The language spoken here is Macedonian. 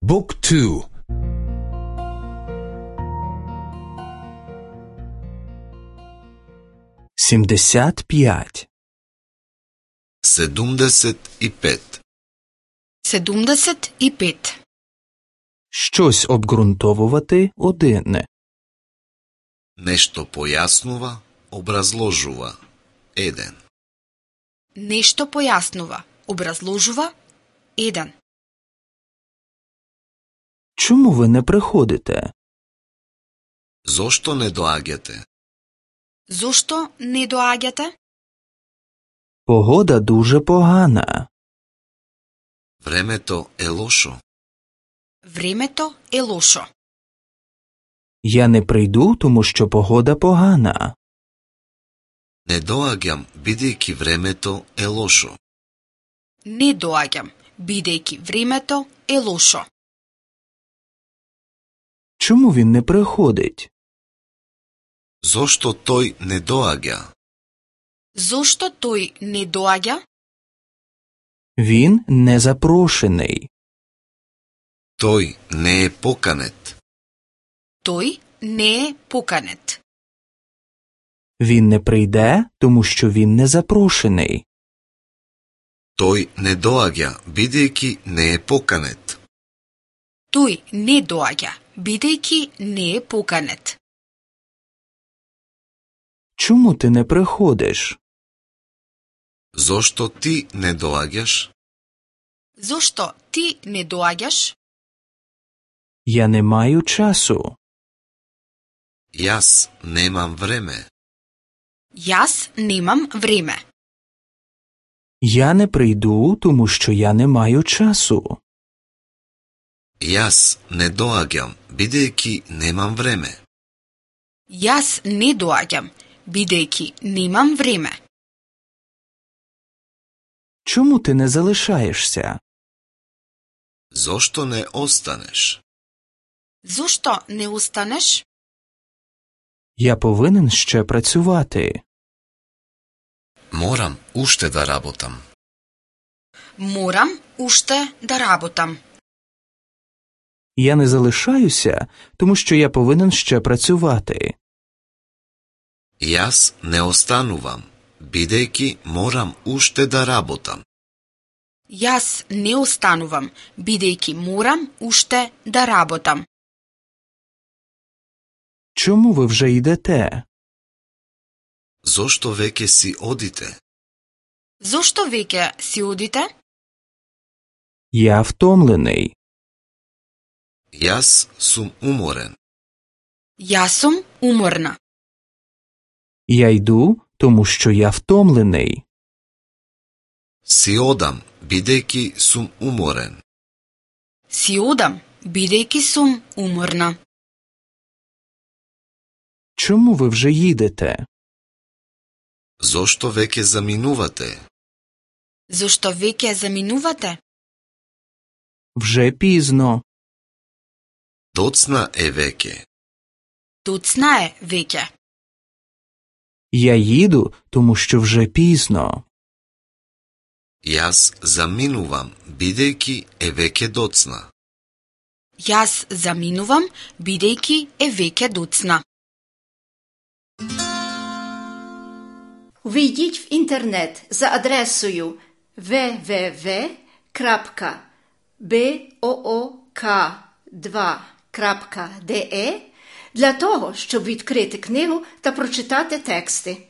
Book 2. 75. 75. 75. Щось обґрунтовувати одне. Нешто појаснува, образложува. 1. Нешто појаснува, образложува. 1. Чому ви не приходите? Зошто не доаѓате? Зошто не доаѓате? Погода дуже погана. Времето е лошо. Времето е лошо. Я не прийду, тому що погода погана. Не доаѓам, бидејќи времето е лошо. Не доаѓам, бидејќи времето е лошо. Чому він не приходить? Зошто тој не доаѓа? Зошто тој не доаѓа? Він не запрошений. Тој не е поканет. Тој не е поканет. Він не прийде, тому що він не запрошений. Тој не доаѓа, бидејќи не е поканет. Тој не доаѓа, бидејќи не е поканет. Чому ти не приходиш? Зошто ти не доаѓаш? Зошто ти не доаѓаш? Я не маю часу. Јас немам време. Јас немам време. Я не прийду, тому що я не маю часу. Јас не доаѓам, бидејќи немам време. Јас не доаѓам, бидејќи немам време. Чому ти не залишаєшся? Зошто не останеш? Зошто не останеш? Я повинен ще працювати. Морам уште да работам. Морам уште да работам. Я не залишаюся, тому що я повинен ще працювати. Јас не останувам, бидејќи морам уште да работам. Јас не останувам, бидејќи морам уште да работам. Чому ви вже йдете? Зошто веќе си одите? Зошто веќе си одите? Я втомлений. Јас сум уморен. Јас сум уморна. Я йду, тому що я втомлений. Си одам, бидејќи сум уморен. Си одам, бидејќи сум уморна. Чому ви вже їдете? Зошто веќе заминувате? Зошто веќе заминувате? Вже пізно. Доцна е веќе. Доцна е веќе. Я їду, тому що вже пізно. Јас заминувам, бидејќи е веќе доцна. Јас заминувам, бидејќи е веќе доцна. Увійдіть в інтернет за адресою www.book2.de для того, щоб відкрити книгу та прочитати тексти.